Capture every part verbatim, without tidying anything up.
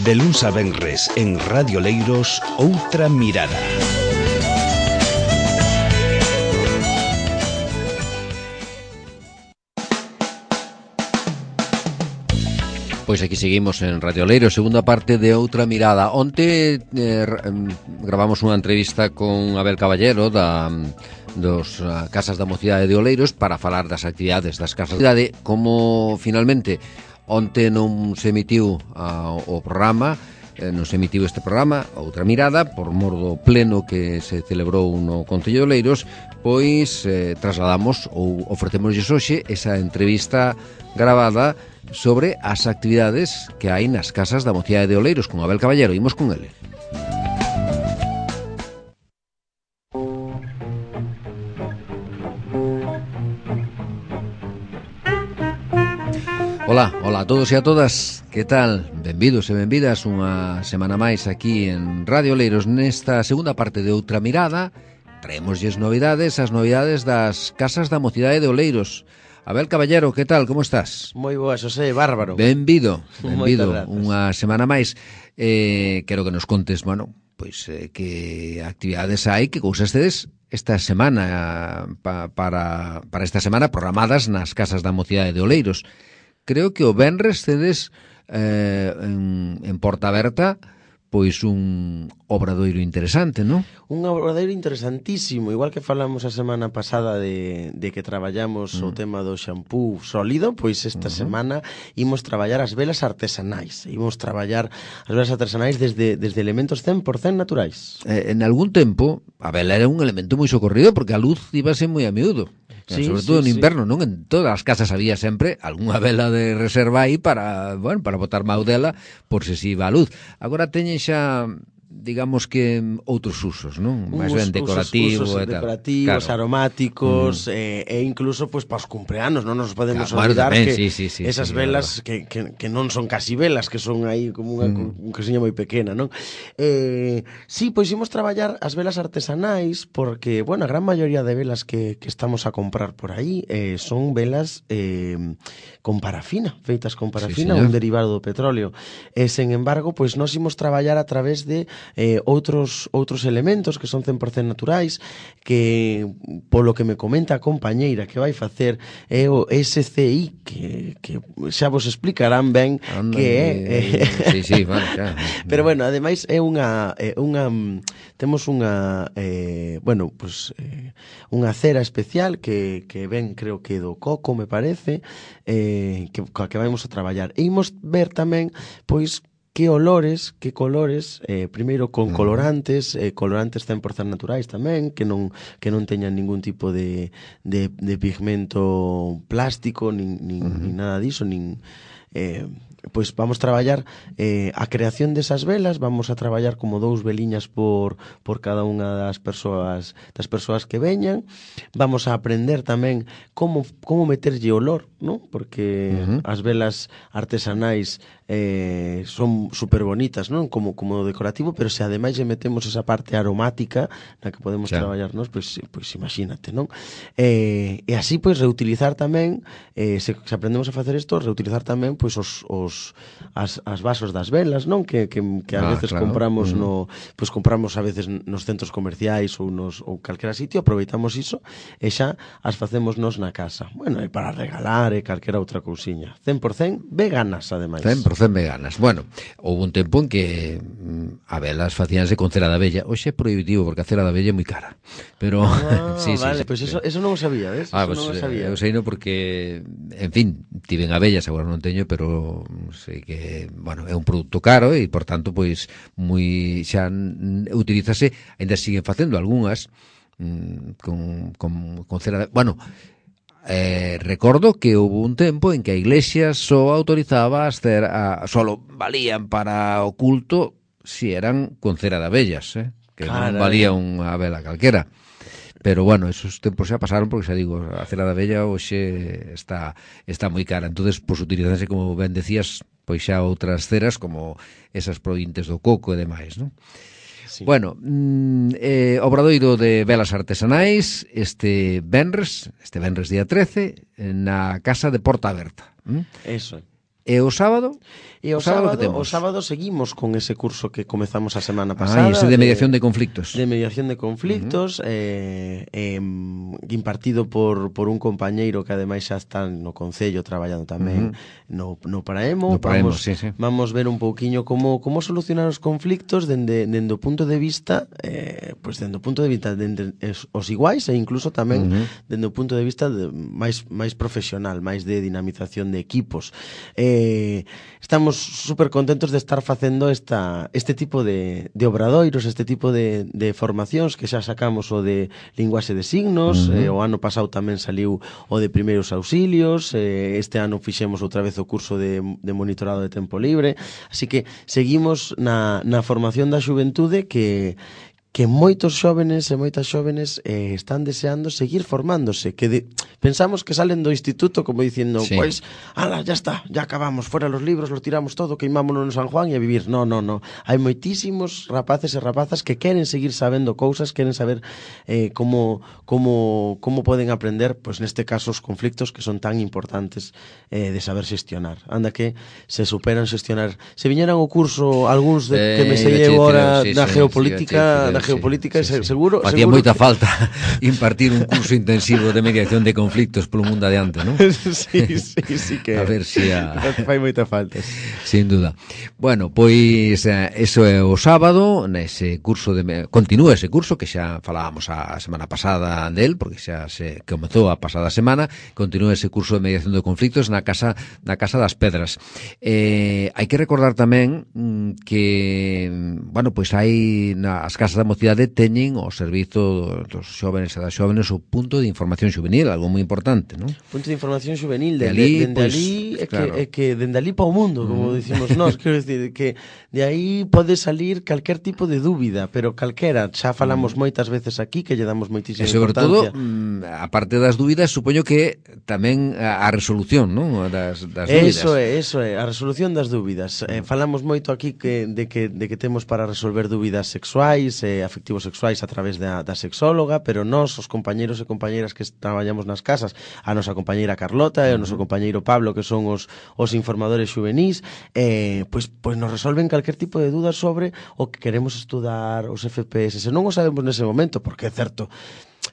De luns a venres en Radio Leiros, Outra Mirada. Pois aquí seguimos en Radio Leiros, segunda parte de Outra Mirada. Onte eh, gravamos unha entrevista con Abel Caballero da dos uh, Casas da Mocidade de Oleiros para falar das actividades das Casas da Mocidade. Como finalmente onte non se emitiu uh, o programa, eh, non se emitiu este programa, Outra Mirada, por mor do pleno que se celebrou no Concello de Oleiros, pois eh, trasladamos ou ofrecémoslle hoxe esa entrevista gravada sobre as actividades que hai nas Casas da Mocidade de Oleiros con Abel Caballero. Imos con ele. Ola, hola a todos e a todas. Que tal? Benvidos e benvidas unha semana máis aquí en Radio Oleiros nesta segunda parte de Outra Mirada. Traemosles novidades, as novidades das Casas da Mocidade de Oleiros. Abel Caballero, que tal? Como estás? Moi boa, Xosé, bárbaro. Benvido, benvido, unha semana máis. Eh, quero que nos contes, bueno, pois eh, que actividades hai, que cousas tedes esta semana, pa, para, para esta semana programadas nas Casas da Mocidade de Oleiros. Creo que o venres tedes eh, en, en Porta Aberta pois un obradoiro interesante, non? Un obradoiro interesantísimo, igual que falamos a semana pasada de, de que traballamos mm. o tema do xampú sólido, pois esta uh-huh. semana imos traballar as velas artesanais. Imos traballar as velas artesanais desde, desde elementos cen por cento naturais. Eh, en algún tempo, a vela era un elemento moi socorrido porque a luz ibase moi a miúdo. Sí, sobre todo sí, no inverno, sí. Non? En todas as casas había sempre algunha vela de reserva aí para, bueno, para botar mau dela por se si iba a luz. Agora teñen xa, digamos que outros usos, non? Máis ben decorativo usos, usos e tal. Decorativos, claro. Aromáticos, mm. eh, e incluso pues para os cumpleanos, non nos podemos claro, olvidar bueno, tamén, que sí, sí, sí, esas sí, velas que, que, que non son casi velas, que son aí como unha mm. un casiña moi pequena, non? Eh, sí, pois imos traballar as velas artesanais porque, bueno, a gran maioría de velas que, que estamos a comprar por aí eh, son velas eh, con parafina, feitas con parafina, sí, un derivado do petróleo. E, sen embargo, pois nós imos traballar a través de Eh, outros outros elementos que son cen por cento naturais, que polo que me comenta a compañeira que vai facer é o S C I, que, que xa vos explicarán ben Anda, que é eh, sí, sí, vale, claro. Pero bueno, ademais é unha é unha temos unha eh, bueno, pues eh, unha cera especial que, que ven, creo que do coco, me parece, eh, que, que vamos a traballar. E imos ver tamén, pois, que olores, que colores, eh, primeiro con colorantes, eh, colorantes cen por cento naturais tamén, que non que non teñan ningún tipo de, de, de pigmento plástico, nin, nin, uh-huh. nin nada diso, nin... Eh, pois vamos traballar eh, a creación desas velas, vamos a traballar como dous veliñas por, por cada unha das persoas das persoas que veñan. Vamos a aprender tamén como, como meterlle olor, non? Porque uh-huh. as velas artesanais eh, son super bonitas, non? Como, como decorativo, pero se ademais lle metemos esa parte aromática na que podemos claro. traballarnos, pois, pois imagínate, non? Eh, e así, pois, reutilizar tamén, eh, se, se aprendemos a facer isto, reutilizar tamén, pois, os, os As, as vasos das velas, non? Que, que, que a ah, veces claro. compramos mm. no, pois compramos a veces nos centros comerciais ou nos ou calquera sitio, aproveitamos iso e xa as facemos nos na casa. Bueno, e para regalar e calquera outra cousiña. cen por cento veganas, ademais. cen por cento veganas. Bueno, houve un tempo en que mm, a velas facíanse con cera de abella. Hoxe é prohibitivo porque a cera de abella é moi cara. Pero ah, sí, vale, sí, pois pues sí. eso eso non o sabía, ves? Ah, eso pues, non o sabía. Eu sei no porque, en fin, tiven abellas, agora non teño, pero sei que, bueno, é un produto caro e, por tanto, pois, moi xa utilízase, ainda siguen facendo algunhas mm, con, con, con cera de... Bueno, eh, recordo que houve un tempo en que a Iglesia só autorizaba as cera, solo valían para o culto si eran con cera de abellas, eh? Que Caray. Non valía unha vela calquera. Pero, bueno, esos tempos xa pasaron porque, xa digo, a cera de abella hoxe está, está moi cara. Entonces, pois, utilizanse, como ben decías, pois xa outras ceras como esas provintes do coco e demais, non? Sí. Bueno, mm, eh, obradoiro de velas artesanais este venres, este venres día trece, na Casa de Porta Aberta. ¿Mm? Eso. E o sábado? E o, o sábado, sábado o sábado seguimos con ese curso que comezamos a semana pasada. Ah, ese de mediación de, de conflictos. De mediación de conflictos, uh -huh. eh, eh, impartido por, por un compañeiro que ademais xa está no Concello traballando tamén uh -huh. no, no Paraemo. No Paraemo, vamos, sí, sí. Vamos ver un pouquiño como, como solucionar os conflictos dende, dende o punto de vista eh, pues dende o punto de vista dende os iguais e incluso tamén uh -huh. dende o punto de vista de, máis, máis profesional, máis de dinamización de equipos. Eh, estamos super contentos de estar facendo esta, este tipo de, de obradoiros, este tipo de, de formacións que xa sacamos o de linguaxe de signos, uh -huh. eh, o ano pasado tamén saliu o de primeiros auxilios, eh, este ano fixemos outra vez o curso de, de monitorado de tempo libre, así que seguimos na, na formación da xuventude que que moitos xóvenes e moitas xóvenes eh, están deseando seguir formándose, que de, pensamos que salen do instituto como dicindo, sí. Pois, ala, ya está, ya acabamos, fuera los libros, lo tiramos todo, queimámonos no San Juan e a vivir. No, no, no. Hai moitísimos rapaces e rapazas que queren seguir sabendo cousas, queren saber eh, como, como, como poden aprender, pois neste caso, os conflictos que son tan importantes eh, de saber xestionar. Anda que se superan xestionar. Se viñeran o curso algúns de, que me sei agora sí, na sí, geopolítica, sí, geopolítica, sí, sí, sí. seguro... Facía seguro moita que... falta impartir un curso intensivo de mediación de conflictos polo mundo adiante, non? Sí, sí, sí que... A ver se si a... fai moita falta. Sin duda. Bueno, pois eh, eso é o sábado, nese curso de... Continúa ese curso, que xa falábamos a semana pasada del, porque xa se comezou a pasada semana, continúa ese curso de mediación de conflictos na Casa na Casa das Pedras. Eh, hai que recordar tamén que, bueno, pois hai nas casas da mocidade teñen o servizo dos xóvenes e das xóvenes o punto de información juvenil, algo moi importante, non? Punto de información juvenil, de, de ali, dende pues, ali é claro. que, é que dende ali para o mundo, como mm. dicimos nós, quero dicir que de aí pode salir calquer tipo de dúbida, pero calquera, xa falamos mm. moitas veces aquí que lle damos moitísima e sobre importancia. todo, mm, a parte das dúbidas, supoño que tamén a, a resolución, non? Das, das dúbidas. Eso é, eso é, a resolución das dúbidas. Mm. Eh, falamos moito aquí que, de, que, de que temos para resolver dúbidas sexuais, Eh, afectivos sexuais a través da, da sexóloga, pero nós, os compañeros e compañeiras que traballamos nas casas, a nosa compañeira Carlota e o noso compañeiro Pablo, que son os, os informadores xuvenís, eh, pois, pois nos resolven calquer tipo de dúdas sobre o que queremos estudar, os F P S, se non o sabemos nese momento, porque é certo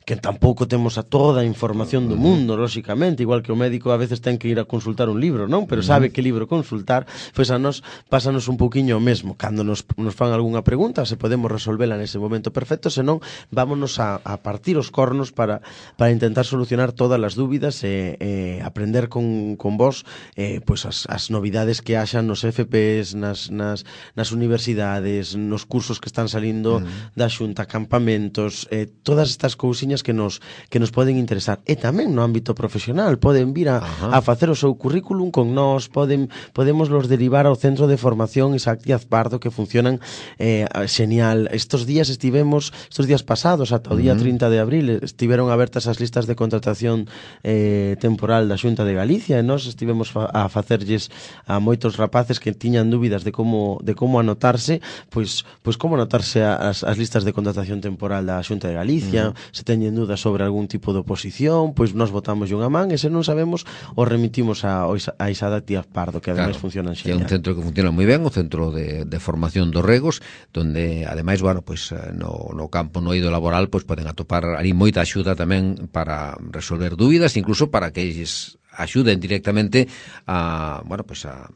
que tampouco temos a toda a información do mundo, lóxicamente, igual que o médico a veces ten que ir a consultar un libro, non? Pero sabe que libro consultar, pois a nós pásanos un pouquiño o mesmo. Cando nos, nos fan algunha pregunta, se podemos resolvela nese momento perfecto, senón vámonos a, a partir os cornos para, para intentar solucionar todas as dúbidas e eh, aprender con, con vos eh, pois as, as novidades que haxan nos F P S, nas, nas, nas universidades, nos cursos que están salindo mm. da Xunta, campamentos, eh, todas estas cousiñas que nos que nos poden interesar. E tamén no ámbito profesional poden vir a, a facer o seu currículum con nós, poden podemos los derivar ao Centro de Formación Isaac Díaz Pardo, que funcionan eh, xenial. Estos días estivemos, estos días pasados, ata o día trinta de abril, estiveron abertas as listas de contratación eh, temporal da Xunta de Galicia e nós estivemos fa a facerlles a moitos rapaces que tiñan dúbidas de como de como anotarse, pois pois como anotarse as, as listas de contratación temporal da Xunta de Galicia, uh -huh. se teñen dudas sobre algún tipo de oposición, pois nós votamos unha man e se non sabemos o remitimos a, a Isaac Díaz Pardo, que ademais claro, funcionan xenial. Que é un centro que funciona moi ben, o centro de, de formación dos regos, donde ademais, bueno, pois no, no campo no eido laboral, pois poden atopar ali moita axuda tamén para resolver dúbidas, incluso para que eles axuden directamente a, bueno, pues a,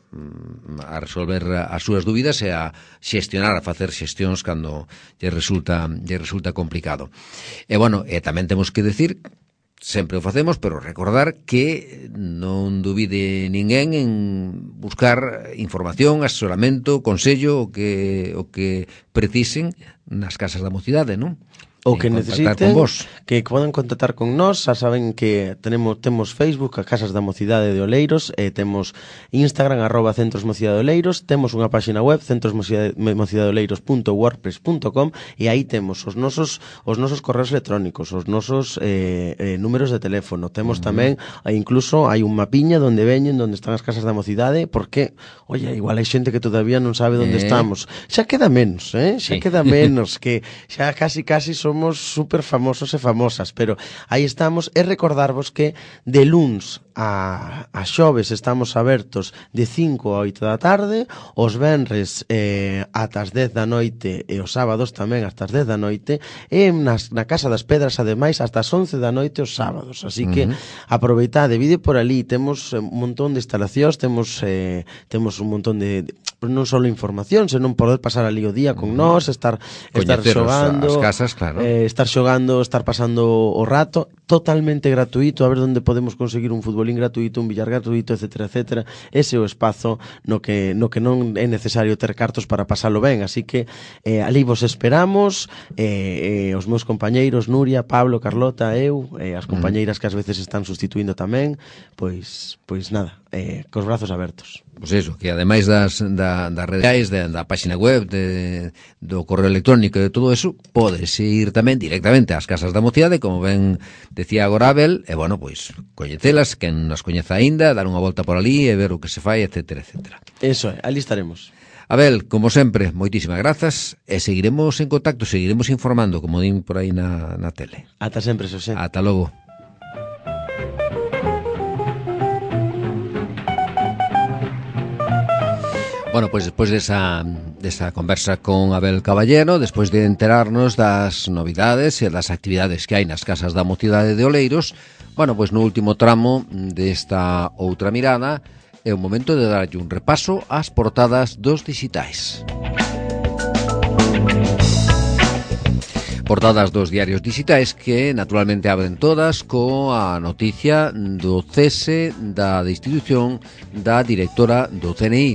a resolver as súas dúbidas e a xestionar, a facer xestións cando lle resulta, lle resulta complicado. E, bueno, e tamén temos que decir, sempre o facemos, pero recordar que non dubide ninguén en buscar información, asesoramento, consello, o que, o que precisen nas casas da mocidade, non? O que necesiten, que podan contactar con nós, xa saben que tenemos temos Facebook, a Casas da Mocidade de Oleiros, e temos Instagram, arroba Centros Mocidade de Oleiros, temos unha páxina web, centros mocidade de oleiros punto wordpress punto com, e aí temos os nosos os nosos correos electrónicos, os nosos eh, eh, números de teléfono, temos uh -huh. tamén, incluso hai un mapiña donde veñen, donde están as Casas da Mocidade, porque, oye, igual hai xente que todavía non sabe onde eh. estamos. Xa queda menos, eh? Xa sí. queda menos, que xa casi casi son somos super famosos e famosas, pero aí estamos, e recordarvos que de luns a, a xoves estamos abertos de cinco a oito da tarde, os venres eh, ata as dez da noite e os sábados tamén hasta as dez da noite, e nas, na Casa das Pedras ademais hasta as once da noite os sábados, así que uh-huh. aproveitade, vide por ali, temos un montón de instalacións, temos eh, temos un montón de, de non só información, senón poder pasar ali o día con uh-huh. nós, estar estar xogando, as casas, claro. eh, estar xogando, estar pasando o rato, totalmente gratuito, a ver onde podemos conseguir un futbolín gratuito, un billar gratuito, etcétera, etcétera. Ese é o espazo no que no que non é necesario ter cartos para pasalo ben, así que eh, ali vos esperamos, eh, eh, os meus compañeiros Nuria, Pablo, Carlota, eu, eh, as compañeiras que ás veces están sustituindo tamén, pois pois nada, eh, cos brazos abertos. Pois iso, que ademais das, da, das redes, da, da página web, de, do correo electrónico e de todo eso, podes ir tamén directamente ás casas da mocidade, como ben decía agora Abel, e bueno, pois, coñecelas, quen nas coñeza aínda, dar unha volta por ali e ver o que se fai, etcétera, etcétera. Eso é, ali estaremos. Abel, como sempre, moitísimas grazas e seguiremos en contacto, seguiremos informando, como din por aí na, na tele. Ata sempre, Xosé. Ata logo. Bueno, pois despois desa, desa conversa con Abel Caballero, despois de enterarnos das novidades e das actividades que hai nas casas da mocidade de Oleiros, bueno, pois no último tramo desta outra mirada é o momento de darlle un repaso ás portadas dos dixitais. Portadas dos diarios dixitais que naturalmente abren todas coa noticia do cese da destitución da directora do C N I.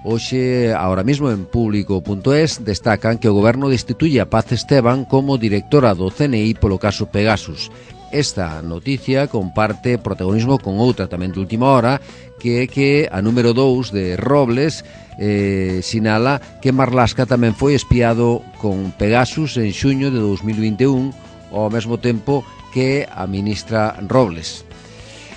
Hoxe, ahora mismo en público punto es, destacan que o goberno destituye a Paz Esteban como directora do C N I polo caso Pegasus. Esta noticia comparte protagonismo con outra tamén de última hora, que é que a número dous de Robles eh, sinala que Marlaska tamén foi espiado con Pegasus en xuño de dos mil vinte e un, ao mesmo tempo que a ministra Robles.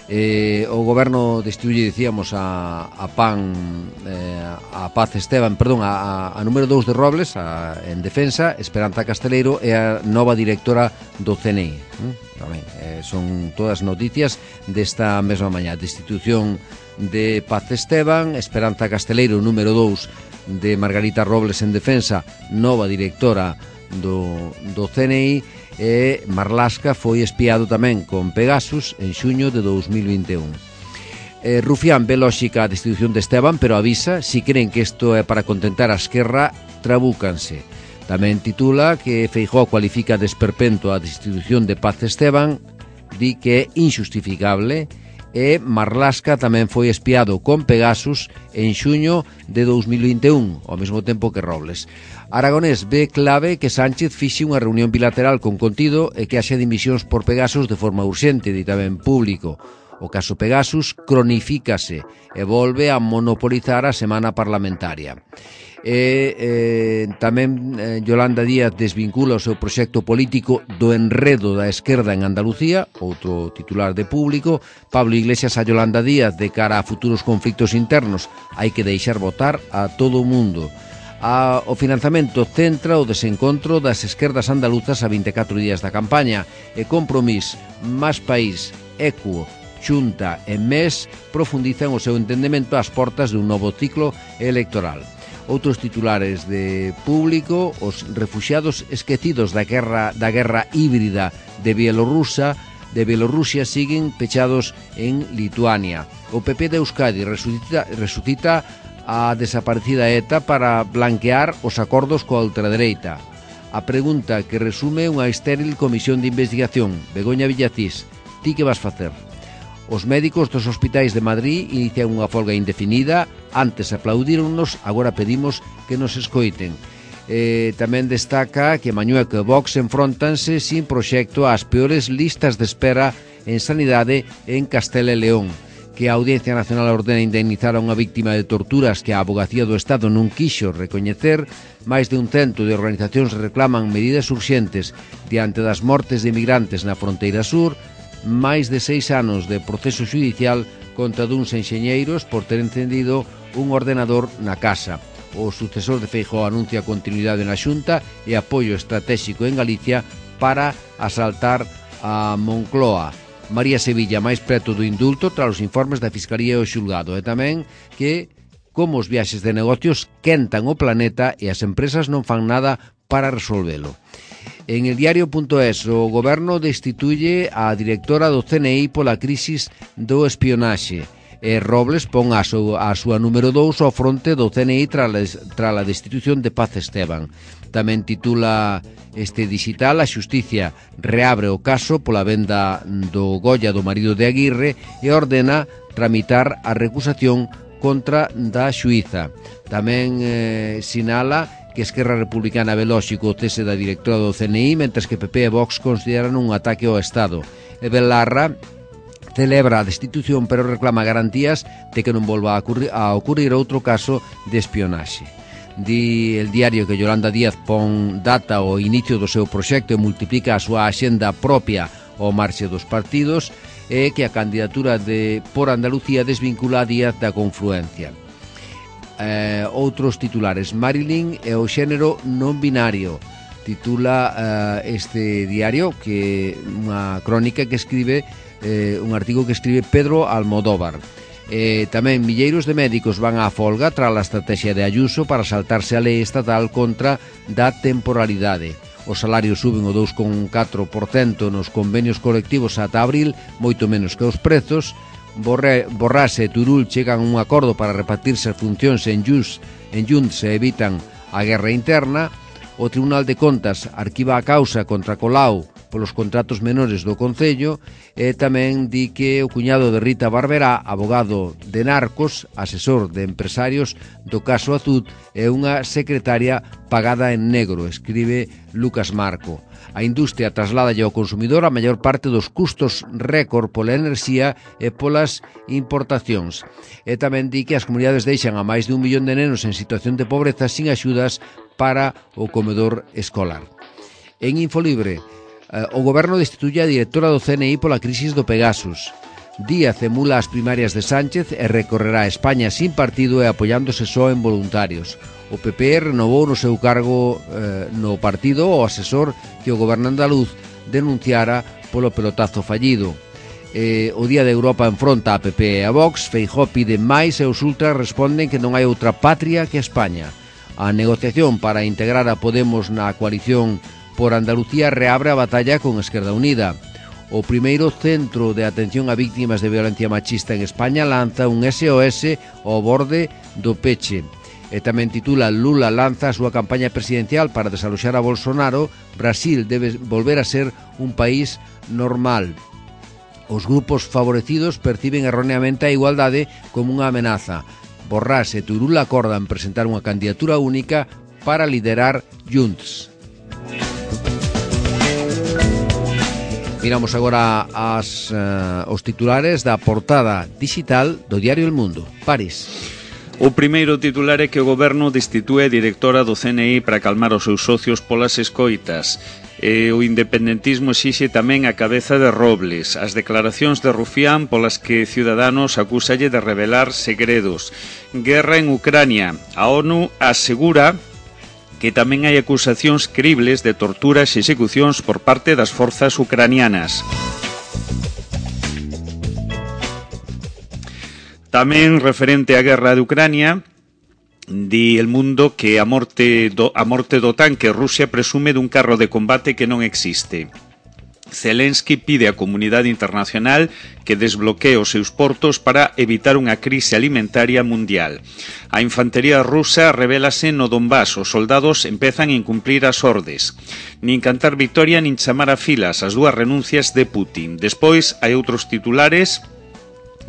Eh, o goberno destituye, dicíamos, a, a PAN, eh, a Paz Esteban, perdón, a, a número dous de Robles, a, en defensa, Esperanza Casteleiro é a nova directora do C N I. ¿eh? Tamén, eh, son todas noticias desta mesma mañá. Destitución de Paz Esteban, Esperanza Casteleiro, número dous de Margarita Robles en defensa, nova directora do, do C N I, e Marlaska foi espiado tamén con Pegasus en xuño de dos mil vinte e un. Eh, Rufián ve lóxica a destitución de Esteban, pero avisa, si creen que isto é para contentar a Esquerra, trabúcanse. Tamén titula que Feijóo cualifica de esperpento a destitución de Paz Esteban, di que é injustificable, e Marlaska tamén foi espiado con Pegasus en xuño de dos mil vinte e un, ao mesmo tempo que Robles. Aragonés ve clave que Sánchez fixe unha reunión bilateral con contido e que haxa dimisións por Pegasus de forma urxente, di tamén público. O caso Pegasus cronifícase e volve a monopolizar a semana parlamentaria. E eh, tamén eh, Yolanda Díaz desvincula o seu proxecto político do enredo da esquerda en Andalucía, outro titular de público. Pablo Iglesias a Yolanda Díaz de cara a futuros conflictos internos, hai que deixar votar a todo o mundo. A, o financiamento centra o desencontro das esquerdas andaluzas a vinte e catro días da campaña e Compromís, Más País, Equo, Xunta e M E S profundizan o seu entendemento ás portas dun novo ciclo electoral. Outros titulares de público, os refuxiados esquecidos da guerra da guerra híbrida de Bielorrusia, de Bielorrusia siguen pechados en Lituania. O P P de Euskadi resucita, resucita a desaparecida ETA para blanquear os acordos coa ultradereita. A pregunta que resume unha estéril comisión de investigación. Begoña Villacís, ti que vas facer? Os médicos dos hospitais de Madrid inician unha folga indefinida. Antes aplaudíronnos, agora pedimos que nos escoiten. Eh, tamén destaca que Mañueco e Vox enfrontanse sin proxecto ás peores listas de espera en sanidade en Castela e León, que a Audiencia Nacional ordena indemnizar a unha víctima de torturas que a Avogacía do Estado non quixo recoñecer. Máis de un cento de organizacións reclaman medidas urxentes diante das mortes de inmigrantes na fronteira sur. Máis de seis anos de proceso judicial contra duns enxeñeiros por ter encendido un ordenador na casa. O sucesor de Feijóo anuncia continuidade na Xunta e apoio estratégico en Galicia para asaltar a Moncloa. María Sevilla máis preto do indulto tras os informes da Fiscalía e o xulgado, e tamén que como os viaxes de negocios quentan o planeta e as empresas non fan nada para resolvelo. En el diario punto es, o goberno destituye a directora do C N I pola crisis do espionaxe. E Robles pon a, su, a súa número dous ao fronte do C N I tras a destitución de Paz Esteban. Tamén titula este digital: a xusticia reabre o caso pola venda do Goya do marido de Aguirre e ordena tramitar a recusación contra da xuíza. Tamén eh, sinala que Esquerra Republicana ve lóxico o cese da directora do C N I, mentres que P P e Vox consideran un ataque ao Estado. E Belarra celebra a destitución, pero reclama garantías de que non volva a ocurrir, a ocurrir outro caso de espionaxe. Di el diario que Yolanda Díaz pon data ao inicio do seu proxecto e multiplica a súa axenda propia ao marxe dos partidos, e que a candidatura de por Andalucía desvincula a Díaz da confluencia. Eh, outros titulares: Marilyn e o xénero non binario, titula eh, este diario, que unha crónica que escribe eh, un artigo que escribe Pedro Almodóvar. Eh, tamén milleiros de médicos van á folga tras a estrategia de Ayuso para saltarse a lei estatal contra da temporalidade. Os salarios suben o dous coma catro por cento nos convenios colectivos ata abril, moito menos que os prezos. Borre, Borrás e Turul chegan a un acordo para repartirse as funcións en Junts, en Junts e evitan a guerra interna. O Tribunal de Contas arquiva a causa contra Colau polos contratos menores do Concello, e tamén di que o cuñado de Rita Barberá, abogado de narcos, asesor de empresarios do caso Azud, é unha secretaria pagada en negro, escribe Lucas Marco. A industria traslada ao consumidor a maior parte dos custos récord pola enerxía e polas importacións. E tamén di que as comunidades deixan a máis de un millón de nenos en situación de pobreza sin axudas para o comedor escolar. En Infolibre, o goberno destituye a directora do C N I pola crisis do Pegasus. Díaz emula as primarias de Sánchez e recorrerá a España sin partido e apoiándose só en voluntarios. O P P renovou no seu cargo eh, no partido o asesor que o goberno andaluz denunciara polo pelotazo fallido. Eh, o Día de Europa enfronta a P P e a Vox. Feijóo pide máis e os ultras responden que non hai outra patria que España. A negociación para integrar a Podemos na coalición por Andalucía reabre a batalla con Esquerda Unida. O primeiro centro de atención a víctimas de violencia machista en España lanza un S O S ao borde do peche. E tamén titula: Lula lanza a súa campaña presidencial para desaloxar a Bolsonaro. Brasil debe volver a ser un país normal. Os grupos favorecidos perciben erróneamente a igualdade como unha amenaza. Borrás e Turul acordan presentar unha candidatura única para liderar Junts. Miramos agora as, uh, os titulares da portada digital do diario El Mundo. París. O primeiro titular é que o goberno destitue a directora do C N I para calmar os seus socios polas escoitas. E o independentismo exixe tamén a cabeza de Robles. As declaracións de Rufián polas que Ciudadanos acúsalle de revelar segredos. Guerra en Ucrania. A ONU asegura que tamén hai acusacións cribles de torturas e execucións por parte das forzas ucranianas. Tamén referente á guerra de Ucrania, di El Mundo que a morte do, a morte do tanque Rusia presume dun carro de combate que non existe. Zelensky pide á comunidade internacional que desbloquee os seus portos para evitar unha crise alimentaria mundial. A infantería rusa revélase no Donbass, os soldados empezan a incumplir as ordes. Nin cantar victoria nin chamar a filas as dúas renuncias de Putin. Despois hai outros titulares,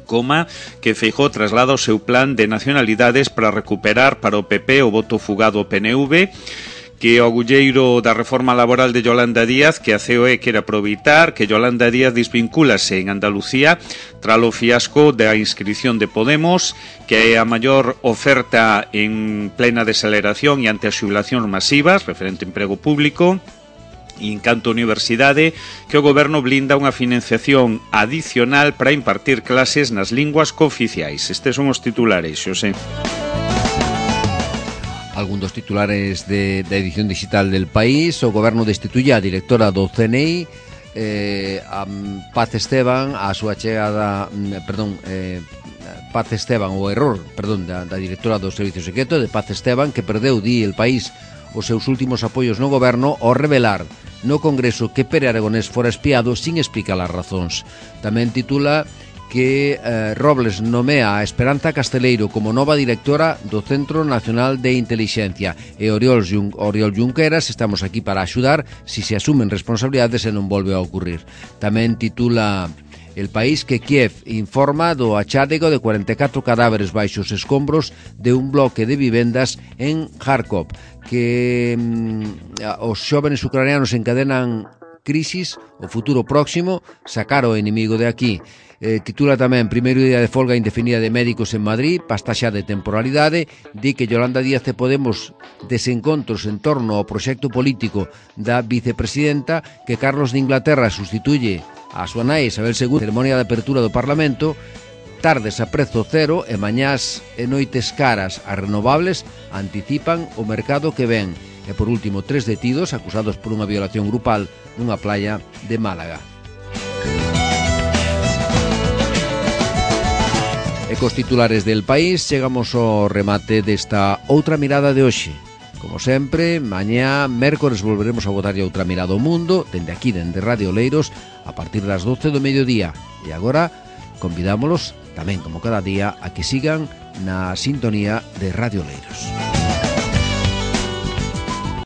coma que Feijóo traslada o seu plan de nacionalidades para recuperar para o P P o voto fugado ao P N V, que o agulleiro da reforma laboral de Yolanda Díaz, que a C O E quere aproveitar, que Yolanda Díaz desvincúlase en Andalucía tras o fiasco da inscripción de Podemos, que é a maior oferta en plena desaceleración e ante as xubilacións masivas, referente ao emprego público. E en canto a universidade, que o goberno blinda unha financiación adicional para impartir clases nas linguas cooficiais. Estes son os titulares, Xosé. Algún dos titulares de, de edición digital del País. O Goberno destituye a directora do C N I, eh, a Paz Esteban, a súa chegada, perdón, eh, Paz Esteban, o error, perdón, da, da directora do Servicio Secreto, de Paz Esteban, que perdeu, di El País, os seus últimos apoios no goberno ao revelar no Congreso que Pere Aragonés fora espiado sin explicar as razóns. Tamén titula que eh, Robles nomea a Esperanza Casteleiro como nova directora do Centro Nacional de Intelixencia, e Oriol, Jun Oriol Junqueras: estamos aquí para axudar si se asumen responsabilidades e non volve a ocurrir. Tamén titula El País que Kiev informa do achádego de cuarenta e catro cadáveres baixo os escombros de un bloque de vivendas en Kharkov, que mm, os xóvenes ucranianos encadenan crisis, o futuro próximo, sacar o inimigo de aquí. Eh, titula tamén primeiro día de folga indefinida de médicos en Madrid, pasta xa de temporalidade. Di que Yolanda Díaz de Podemos desencontros en torno ao proxecto político da vicepresidenta, que Carlos de Inglaterra sustituye a súa nai Isabel segunda, ceremonia de apertura do Parlamento, tardes a prezo cero e mañás e noites caras. As renovables anticipan o mercado que ven. E por último, tres detidos acusados por unha violación grupal nunha playa de Málaga. E cos titulares del País chegamos ao remate desta outra mirada de hoxe. Como sempre, mañá, mércores, volveremos a botarlle outra mirada ao mundo, dende aquí, dende Radio Oleiros, a partir das doce do mediodía. E agora, convidámolos, tamén como cada día, a que sigan na sintonía de Radio Oleiros.